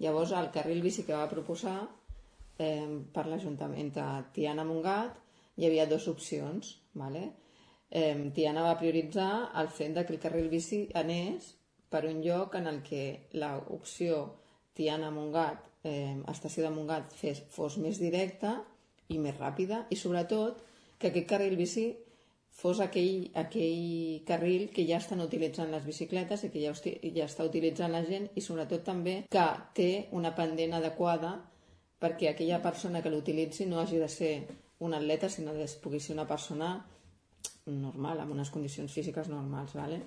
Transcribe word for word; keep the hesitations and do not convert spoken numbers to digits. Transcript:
Llavors, el carril bici que va proposar eh, per l'Ajuntament de Tiana-Montgat hi havia dues opcions, vale? Eh, Tiana va prioritzar el fet de que el carril bici anés per un lloc en el que l'opció Tiana-Montgat, eh, estació de Montgat, fes, fos més directa i més ràpida, i sobretot que aquest carril bici fos aquell, aquell carril que ja estan utilitzant les bicicletes i que ja, ja està utilitzant la gent, i sobretot també que té una pendent adequada perquè aquella persona que l'utilitzi no hagi de ser un atleta, sinó que pugui ser una persona normal, amb unes condicions físiques normals, ¿vale?